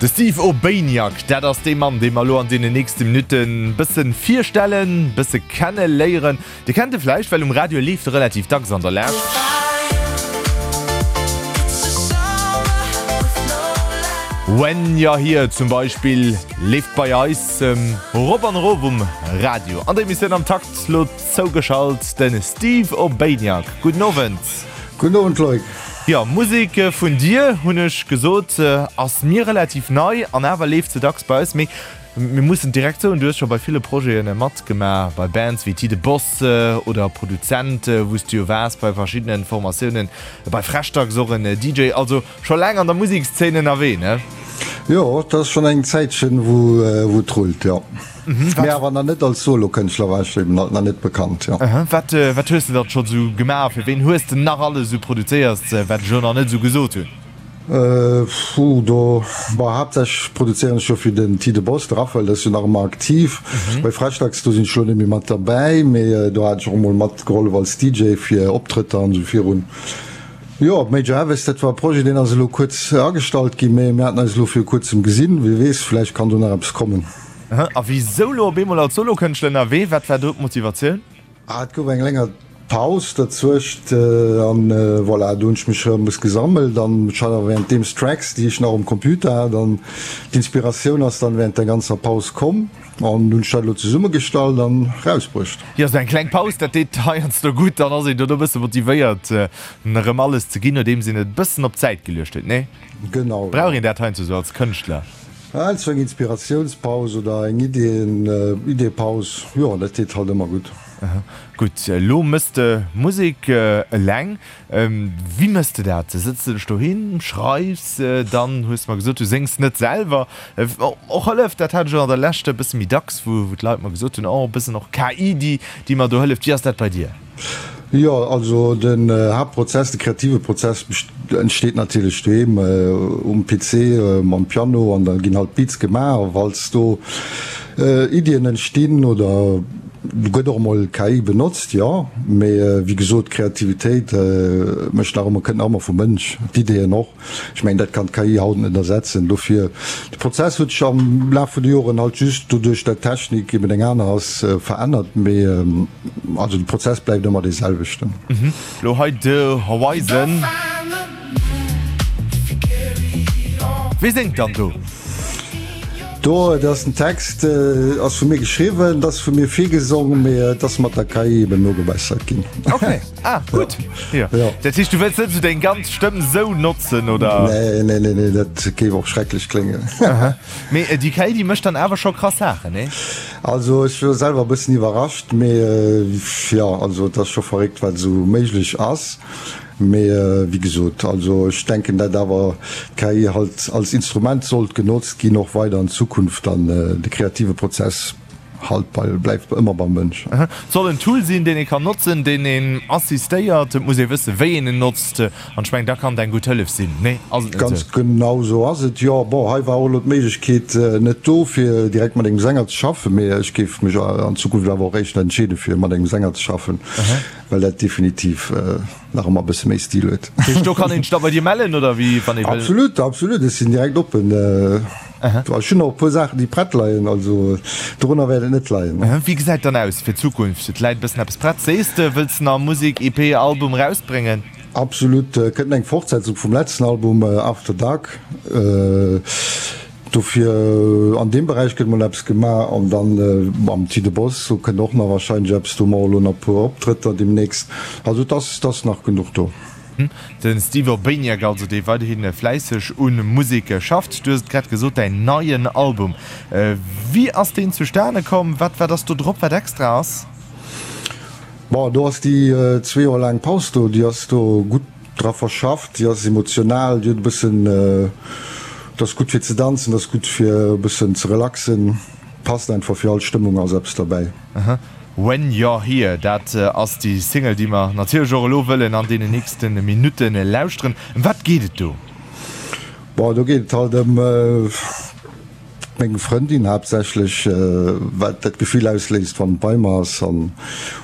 De Steve Urbaniak, dat ass dee Mann, dee mer elo an deenen nächste Minutten bëssen virstellen, bësse kenne léieren. Dir kennt e vläicht, well um Radio leeft e relativ dacks an der Lescht. When You're Here zum Beispill leeft bei eis rop an erof um Radio. An der Emissioun Am Takt lo zougeschalt de Steve Urbaniak. Gudden Owend. Gudden Owend Loïc. Jo, Musek vun dir, hunn ech gesot, ass mir relativ nei an awer leeft se dacks bei eis. Mee mir mussen direkt soen, du hues scho bei ville Projete matgemaach, bei Bands wéi Ti de Boss oder Produzent, wou s du jo waars bei verschiddenen Formatiounen, bei Freshdax och en DJ, also scho laang an der Musekszeen ënnerwee, ne? Jo, et ass schonn eng Zäitchen, wou et rullt, jo. Mee awer nach net als Solokënschtler war ech eben nach net bekannt, jo. Wat, wat hues de dann scho sou gemaach? Fir ween hues de nach alles sou produzéiert, wat ech elo nach net sou gesot hunn? Puh, do, bon, haaptsächlech produzéieren ech jo fir den Ti de Boss, de Raphael, dee ass jo nach ëmmer aktiv. Bei Freshdax, do sinn ech elo net méi mat derbäi, mee do hat ech och emol matgehollef als DJ fir Optrëtter an esou virun. Jo, Major Harvest, dat war e Projet, deen ass elo kuerz agestallt ginn, mee mir haten eis elo viru kuerzem gesinn. Wie weess, vläicht kann do nach eppes kommen. A wisou lo op eemol als Solokënschtler ënnerwee? Wat war do d'Motivatioun? Ah, et gouf eng länger Paus derzwëscht an voilà, do hunn ech mech rëm e bësse gesammelt an ech hat awer währenddeems Tracks, déi ech nach um Computer hat an d'Inspiratioun ass dann während der ganzer Paus komm an hunn ech dat elo zesummegestallt an rausbruecht. Jo, sou eng kleng Paus, dat deet heiansdo gutt, dann ass een dono e bësse motivéiert erëm alles ze ginn, nodeems een et e bëssen op d'Säit geluecht huet, nee? Genau, jo. Brauch een dat heiansdo sou als Kënschtler? Heiansdo eng Inspiratiounspaus oder eng Ideen, Ideepaus, jo, dat deet halt ëmmer gutt. Gutt, elo mëss de Musek eleng. Wéi mëss de dat? Sëtz de dech dohin, schreifs, dann hues de mer gesot, du séngs net selwer. Och hëlleft, dat hat ech och an der Lescht e bësse méi dacks, wou d'Leit mer gesot hunn, oh, e bëssen och KI, déi, déi mer do hëlleft. Wéi ass dat bei dir? Jo, also den Haaptprozess, de kreative Prozess entsteet natierlech doheem um PC mam Piano an da ginn halt Beats gemaach a falls do Iddien entstinn oder do gëtt och emol KI benotzt, jo, mee wéi gesot d'Kreativitéit mécht nach ëmmer, kënnt nach ëmmer vum Mënsch, d'Ideeën och. Ech mengen, dat kann d'KI haut net ersetzen. Dofir, de Prozess huet sech am Laf vun de Joren halt just doduerch, dat d'Technik eben eng aner ass, verännert. Mee also de Prozess bleift ëmmer dee selwechten. Lo hei de Horizon. Wee séngt dann do? Do, et ass den Text ass vu mir geschriwwen, et ass vu mir virgesong, mee et ass mat der KI eben nogebessert ginn. Okay. Ah, gutt. Jo. Jo. Dat heescht, du wëlls net esou deng ganz Stëmm esou notzen, oder? Nee, nee, nee, nee, dat géif och schrecklech kléngen. Aha. Mee déi KI, déi mécht dann awer scho krass Saachen, nee? Also, ech war selwer e bëssen iwwerrascht, mee jo, also et ass scho verréckt, wat esou méiglech ass. Mee wéi gesot, also ech denken, dat awer d'KI halt als Instrument sollt genotzt ginn, och weider an Zukunft, an de kreative Prozess halt bei, bleift ëmmer beim Mënsch. Et soll en Tool sinn, deen ee kann notzen, deen een assistéiert. Et muss ee wëssen, wéi een en notzt. An ech mengen, da kann et eng gutt Hëllef sinn. Nee, ass et net Ganz esou? genau esou ass et, jo. Bon, hei war och elo d'Méiglechkeet net do, fir direkt mat engem Sänger ze schaffen, mee ech géif mech an Zukunft awer och éischter entscheeden, fir mat engem Sänger ze schaffen, well dat definitiv nach ëmmer e bësse méi Stil huet. Dat heescht, do kann een sech da bei dir mellen, oder wéi, wann ee wëll? Absolut, absolut, ech sinn direkt oppen. Ech hunn och e puer Saachen, déi prett leien, also dorunner wäert et net leien. Wéi gesäit dann aus fir d'Zukunft? Et läit e bëssen eppes prett, sees de. Wëlls de nach Musek, EP, Album erausbréngen? Absolut, kënnt eng Fortsetzung vum letzten Album After Dark. Dofir an deem Beräich gëtt mol eppes gemaach an dann mam Ti de Boss, do kënnt och nach wahrscheinlech eppes, do hu mer och elo nach e puer Optrëtter deemnächst. Also et ass, et ass nach genuch do. De Steve Urbaniak also, dee weiderhi fläisseg u Musek schafft. Du hues et grad gesot, däin neien Album, wéi ass deen zustane komm? Wat wat ass do drop, wat extra ass? Bon, do ass déi zwee Joer laang Paus do, déi ass do gutt dra verschafft, déi ass emotional, déi huet e bëssen, dat ass gutt fir ze danzen, dat ass gutt fir e bëssen ze relaxen, passt einfach fir all Stëmmung ass eppes derbäi. When You're Here, dat ass déi Single, déi mer natierlech och elo wëllen an deenen nächste Minutte lauschteren. Ëm wat geet et do? Bon, do geet et halt ëm meng Frëndin haaptsächlech, wat dat Gefill ausléist, wann et bei mer ass, an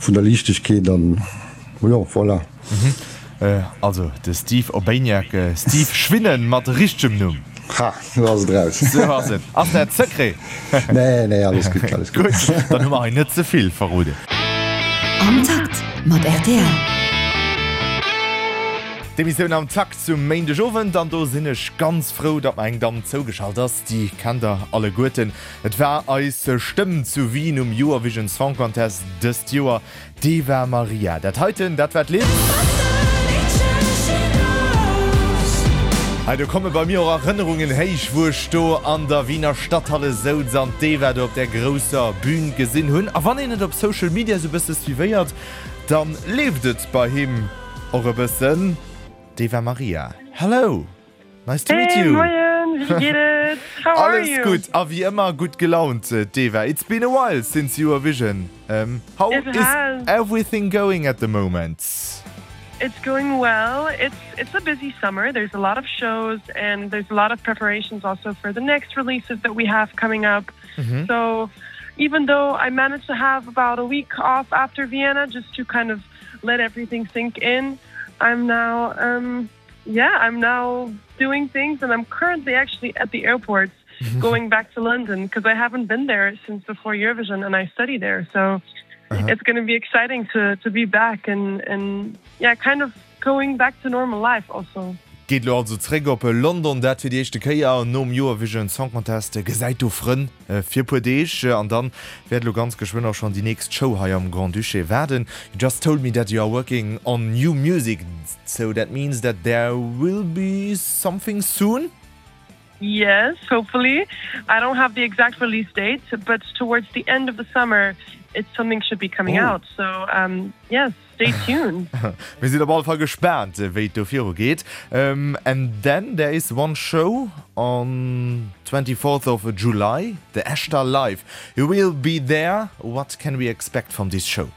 vun der Liichtegkeet an jo, voilà. Also de Steve Urbaniak, Steve Schwinnen mat richtegem Numm. Ha, lo ass et raus. Sou ass et. Ass dat Secret? Nee, nee, alles gutt, alles gutt. Gutt, dann hu mer hei net ze vill verroden. Am Takt mat rtl. D'Emissioun Am Takt zum Méindegowend an do sinn ech ganz frou, datt mer eng Damm zougeschalt ass, déi kennt der alleguerten. Et war eis Stëmm zu Wien um Eurovision Song Contest dëst Joer. D'Eva Maria. Dat heiten, dat war d'Lidd. Hei, do komme bei mir och Erënnerungen héich, wou ech do an der Wiener Stadthalle souz an d'Eva do op där grousser Bühn gesinn hunn. A wann een et op Social Media sou bësse suivéiert, da leeft et bei him och e bëssen. D'Eva Maria, hello! Nice to meet Hey, you! moien, wéi geet et? How are Alles you? gutt a wéi ëmmer gutt gelaunt, d'Eva. It's been a while since Eurovision. How It is has. everything going at the moment? It's going well. It's it's a busy summer. There's a lot of shows and there's a lot of preparations also for the next releases that we have coming up. So even though I managed to have about a week off after Vienna just to kind of let everything sink in, I'm now um, yeah, I'm now doing things and I'm currently actually at the airport going back to London because I haven't been there since before Eurovision and I study there. So uh -huh. it's going to be exciting to, to be back and, and yeah, kind of going back to normal life also. Geet lo also zréck op London, dat fir déi éischte Kéier nom Eurovision Song Contest. Gesäit do Frënn fir puer Deeg an dann wäert lo ganz geschwënn och schonn déi nächst Show hei am Grand-Duché waarden. You just told me that you are working on new music, so that means that there will be something soon? Yes, hopefully. I don't have the exact release date, but towards the end of the summer, it's something should be coming oh. out. So um, yes, stay tuned. Mir sinn op alle Fall gespaant, wéi et do viru geet. Um, and then there is one show on 24th of July, the Eshta Live. You will be there. What can we expect from this show?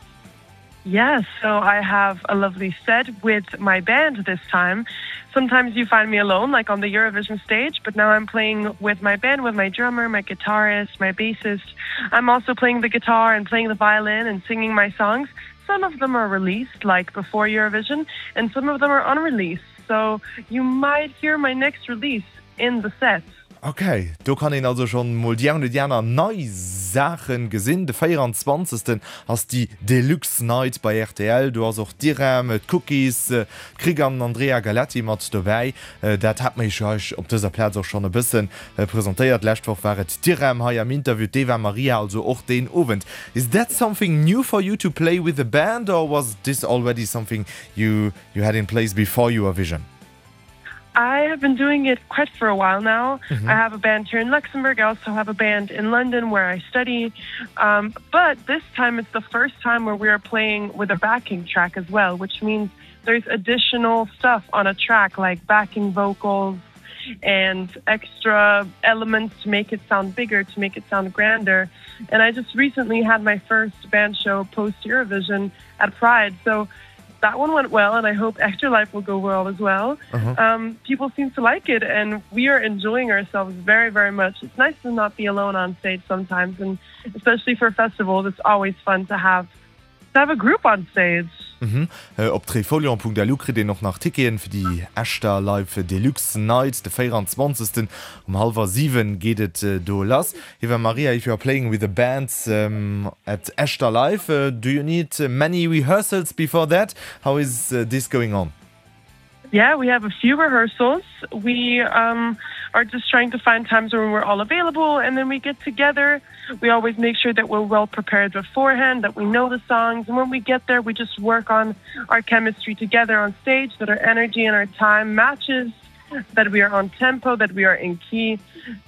Yes, so I have a lovely set with my band this time. Sometimes you find me alone, like on the Eurovision stage, but now I'm playing with my band, with my drummer, my guitarist, my bassist. I'm also playing the guitar and playing the violin and singing my songs. Some of them are released, like before Eurovision, and some of them are unreleased. So you might hear my next release in the set. Ok, do kann een also schonn mol déi eng oder déi aner nei Saachen gesinn. De 24 ass déi Deluxe Night bei rtl. Do ass och d'Irem, d'Cookies, d'Krick an den Andrea Galetti mat dobäi. Dat hat mer iech jo hei op dëser Plaz och schonn e bësse presentéiert. D'lescht Woch war et d'Irem hei am Interview, d'Eva Maria also och deen Owend. Is that something new for you to play with a band or was this already something you you had in place before Eurovision? I have been doing it quite for a while now. Mm -hmm. I have a band here in Luxembourg. I also have a band in London where I study. Um, but this time it's the first time where we are playing with a backing track as well, which means there's additional stuff on a track like backing vocals and extra elements to make it sound bigger, to make it sound grander. And I just recently had my first band show post Eurovision at Pride. So that one went well and I hope Extra Life will go well as well. Uh -huh. um, people seem to like it and we are enjoying ourselves very, very much. It's nice to not be alone on stage sometimes and especially for festivals, it's always fun to have to have a group on stage. Mhm. Op trifolion.lu kritt een och nach Ticketen fir déi Echter Live Deluxe Night de 24. Um hallwer 7 geet et do lass. Eva Maria, if you are playing with a band at Echter Live, do you need many rehearsals before that? How is this going on? Yeah, we have a few rehearsals. We um, are just trying to find times when we're all available and then we get together. We always make sure that we're well prepared beforehand, that we know the songs. And when we get there, we just work on our chemistry together on stage, that our energy and our time matches, that we are on tempo, that we are in key.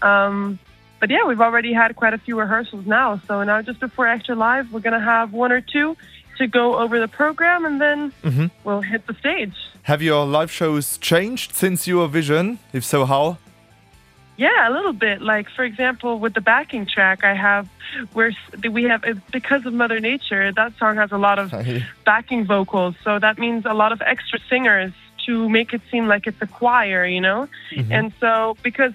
Um, but yeah, we've already had quite a few rehearsals now. So now just before Extra Live, we're gonna have one or two to go over the program and then mm -hmm. we'll hit the stage. Have your live shows changed since Eurovision? If so, how? Yeah, a little bit. Like for example, with the backing track I have where we have because of Mother Nature, that song has a lot of backing vocals. So that means a lot of extra singers to make it seem like it's a choir, you know? Mm -hmm. And so because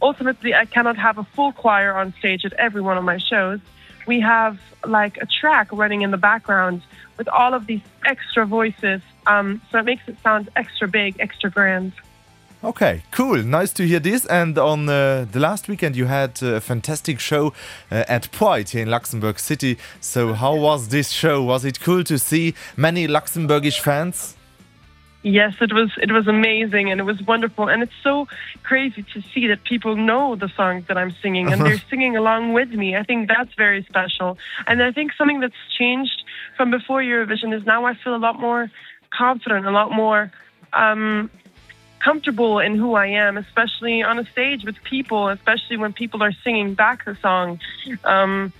ultimately I cannot have a full choir on stage at every one of my shows, we have like a track running in the background with all of these extra voices. Um, so it makes it sound extra big, extra grand. Okay, cool. Nice to hear this. And on uh, the last weekend you had a fantastic show uh, at Pride here in Luxembourg City. So how was this show? Was it cool to see many Luxembourgish fans? Yes, it was it was amazing and it was wonderful and it's so crazy to see that people know the songs that I'm singing and they're singing along with me. I think that's very special. And I think something that's changed from before Eurovision is now I feel a lot more confident, a lot more um, comfortable in who I am, especially on a stage with people, especially when people are singing back the song. Um,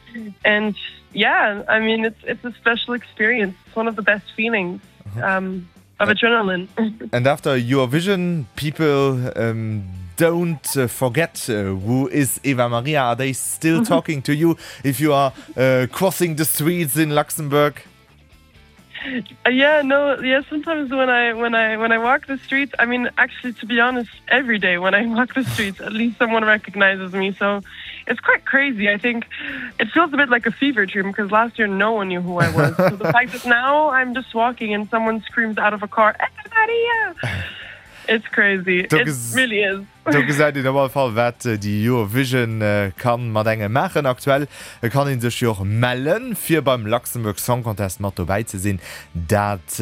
and yeah, I mean it's it's a special experience. It's one of the best feelings. Um, of adrenaline. And after Eurovision, people um, don't uh, forget uh, who is Eva Maria. Are they still talking to you if you are uh, crossing the streets in Luxembourg? Uh, yeah, no, yeah, sometimes when I when I when I walk the streets, I mean actually to be honest, every day when I walk the streets, at least someone recognizes me. So it's quite crazy. I think it feels a bit like a fever dream because last year no one knew who I was. So the fact that now I'm just walking and someone screams out of a car, Eva Maria! It's crazy. It really is. Do gesäit een op alle Fall, wat déi Eurovision kann mat engem maachen. Aktuell kann ee sech jo och mellen, fir beim Luxembourg Song Contest mat dobäi ze sinn. Dat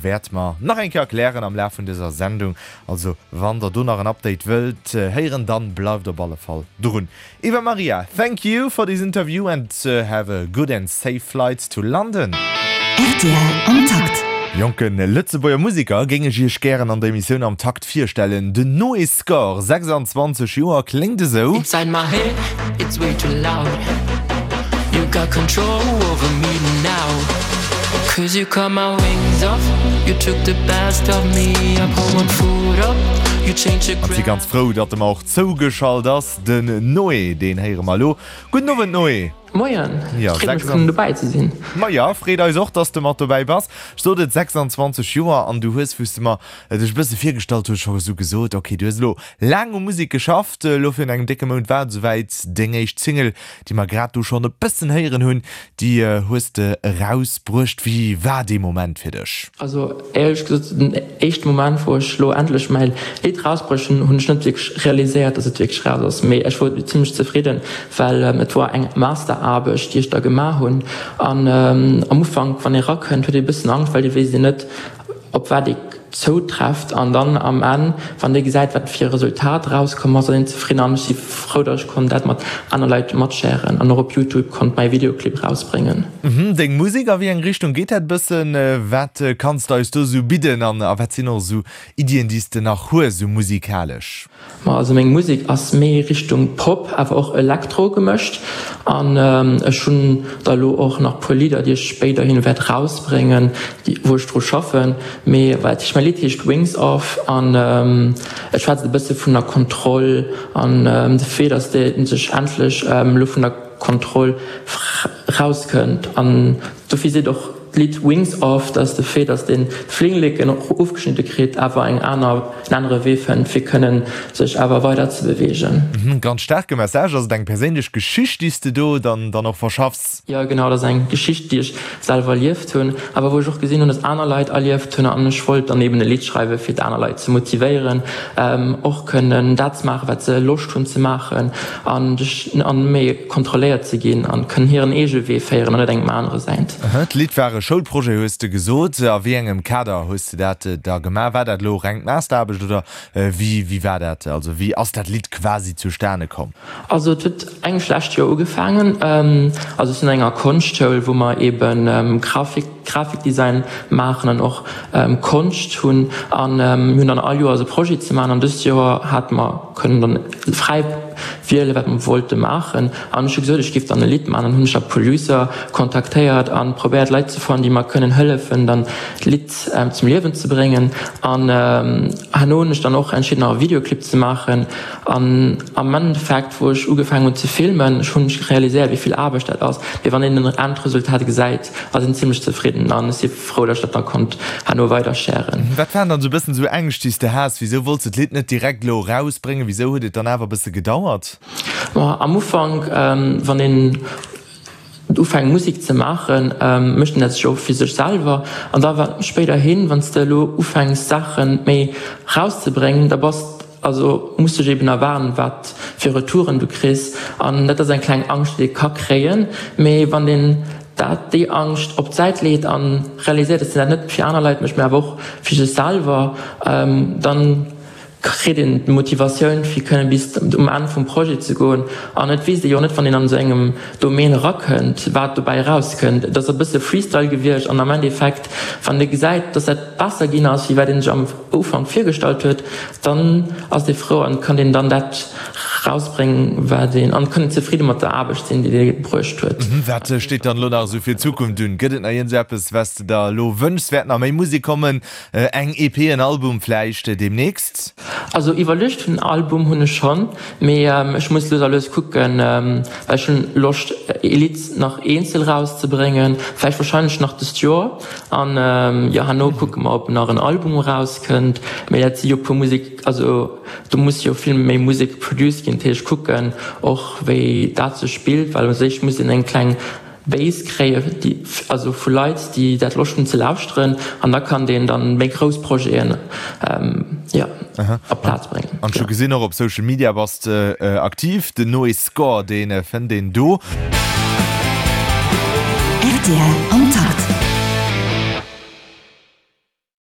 wäerte mer nach eng Kéier erklären am Laf vun dëser Sendung. Also wann der do nach en Update wëllt héieren, dann bleift op alle Fall drun. Eva Maria, thank you for this interview and have a good and safe flight to London. Rtl am Takt. Jonke Lëtzebuerger Museker géing ech iech gären an der Emissioun Am Takt virstellen. Den Noé Score, 26 Joer, kléngt esou. Inside my head, it's way too loud You got control over me now Cause you cut my wings off You took the best of me I put one foot up You changed the An si ganz frou, datt e mer och zougeschalt ass. Den Noé, deen héiere mer elo. Gudden Owend Noé! Moien, et freet mech kënnen dobäi ze sinn. Maja, freet eis och, dass de mat dobäi bass. Ech sot et, 26 Joer an du hues, wou s de mer dech e bësse virgestallt hues, scho esou gesot, ok, du hues elo laang u Musek geschafft, elo virun engem décke Mount war et esouwäit, deng éischt Single, déi mer grad do schonn e bëssen héieren hunn, déi hues de erausbruecht. Wéi war dee Moment fir dech? Also éierlech gesot, den éischte Moment wou ech lo endlech mäi Lidd rausbruecht hunn, hunn ech net wierklech realiséiert, dass et wierklech raus ass. Mee ech wor zimmlech zefridden, well et wor eng Masteraarbecht déi ech da gemaach hunn. An am Ufank wann ee rakënnt huet ee bëssen Angscht, well dir weess een net op wat ee zoutrefft. An dann am Enn wann ee gesäit wat fir e Resultat rauskomm ass, ass een zefridden. An ech si frou, dass ech konnt dat mat aner Leit matsharen an och op Youtube konnt mäi Videoclip rausbréngen. Deng Musek, a wéi eng Richtung geet dat bëssen? Wat kanns de eis do sou bidden an a wat sinn och sou Iddien, déi s de nach hues, sou musikalesch? Ma also meng Musek ass méi Richtung Pop awer och Elektro gemëscht an ech hunn da lo och nach puer Lidder, déi ech spéiderhin wäert rausbréngen, wou ech dru schaffen. Mee wat heescht, mäi Lidd heescht Wings Off an et schwätzt e bësse vun der Kontroll an de Fait, dass de sech endlech elo vun der Kontroll rauskënnt an dofir seet och d'Lidd Wings Off, dass de Fait, dass deen d'Flingleken ofgeschnidde kritt, awer eng aner, en anere Wee fënnt fir kënnen sech awer weider ze beweegen. Ganz staarke Message. Ass et eng perséinlech Geschicht déi s de do dann dann och verschaffs? Jo genau, dat ass eng Geschicht déi ech selwer erlieft hunn, awer wou ech och gesinn hunn, dass aner Leit erlieft hunn an ech wollt dann eben e Lidd schreiwe fir d'aner Leit ze motivéieren och kënnen dat ze maachen wat se Loscht hunn ze maachen an sech an méi kontrolléiert ze ginn an kënnen hiren eege Wee féieren an net engem anere säint. D'Lidd war e Schoulprojet hues de gesot. A wéi engem Kader hues de dat da gemaach? War dat elo reng d'Masteraarbecht oder wéi wéi war dat? Also wéi ass dat Lidd quasi zustane komm? Also et huet eigentlech lescht Joer ugefaangen. Also ech sinn an enger Konschtschoul wou mer eben Grafik, Grafikdesign maachen an och Konscht hunn an mir hunn dann all Joers e Projet ze maachen an dëst Joer hate mer kënnen dann fräi wiele wat mer wollte maachen an ech hu gesot ech géif dann e Lidd maachen. Dann hunn ech da Producer kontaktéiert an probéiert Leit ze fannen déi mer kënnen hëllefen dann d'Lidd zum Liewen ze bréngen an herno hunn ech dann och entscheet nach e Videoclip ze maachen An am Endeffekt, wou ech ugefaangen hunn ze filmen, ech hunn realiséiert, wéi vill Aarbecht dat ass. Mee wann een den Endresultat gesäit, ass een zimmlech zefridden an ech si frou, datt ech dat da konnt herno weider sharen. Wat waren dann esou e bëssen esou Ängscht, déi s de has? Wisou wollts de d'Lidd net direkt elo erausbréngen? Wisou huet et dann awer e bësse gedauert? Ma am Ufank, wann een ufänkt Musek ze maachen, mécht een dat sech och fir sech selwer. An da spéiderhin, wann s de elo ufänks Saache méi erauszebréngen, da bass. Also muss dech eben erwaarden, wat fir Retouren du kriss. An dat ass eng kleng Angscht, déi ee ka kréien. Mee wann een dat, déi Angscht op d'Säit leet a realiséiert, dass een dat net fir aner Leit mécht, mee awer och fir sech selwer, dann kritt een d'Motivatioun fir kënnen bis um Enn vum Projet ze goen. An et weess ee jo net, wann een an esou engem Domaine erakënnt, wat dobäi erauskënnt. Et ass e bësse Freestyle gewiescht an am Endeffekt, wann ee gesäit, dass dat besser ginn ass, wéi wat een sech am Ufank virgestallt huet, dann ass ee frou an kann een dann dat rausbréngen, wat een, an kann een zefridde mat der Aarbecht sinn, déi dee bruecht huet. Wat steet dann elo nach esou fir d'Zukunft un? Gëtt et nach iergendseppes, wat s de der elo wënschs? Wäert nach méi Musek kommen? Eng EP, en Album vläicht deemnächst? Also iwwerluecht hunn en Album hunn ech schonn, mee ech muss lues a lues kucken, well ech hunn Loscht ee Lidd nach eenzel rauszebréngen, vläicht wahrscheinlech nach dëst Joer. An jo herno kucke mer ob nach en Album erauskënnt, mee dat si jo puer Musek, also do muss jo vill méi Musek produced ginn, dat heescht kucken och wéi dat sech spillt, well u sech muss een eng kleng Base kréien, déi also vu Leit déi dat Loscht hunn ze lauschteren, an da kann deen dann méi grouss Projeten jo op d'Plaz bréngen. An ech hu gesinn och op Social Media bass de aktiv, den Noé Score dee fënnt een do. Rtl am Takt.